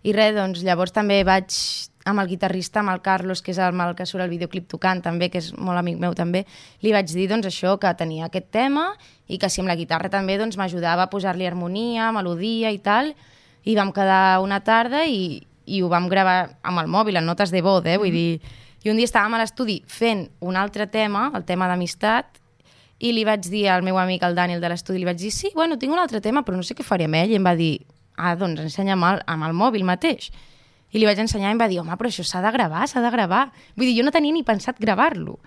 I res, doncs llavors també vaig amb el guitarrista, amb el Carlos, que és amb el que surt el videoclip tocant també, que és molt amic meu també, li vaig dir doncs això, que tenia aquest tema i que si amb la guitarra també doncs, m'ajudava a posar-li harmonia, melodia i tal, i vam quedar una tarda i ho vam gravar amb el mòbil, en notes de vot, vull dir... I un dia estàvem a l'estudi fent un altre tema, el tema d'amistat, i li vaig dir al meu amic, el Daniel de l'estudi, li vaig dir, sí, bueno, tinc un altre tema, però no sé què faré amb ell, i em va dir, doncs ensenya'm amb el mòbil mateix. I li vaig ensenyar i em va dir, home, però això s'ha de gravar. Vull dir, jo no tenia ni pensat gravar-lo.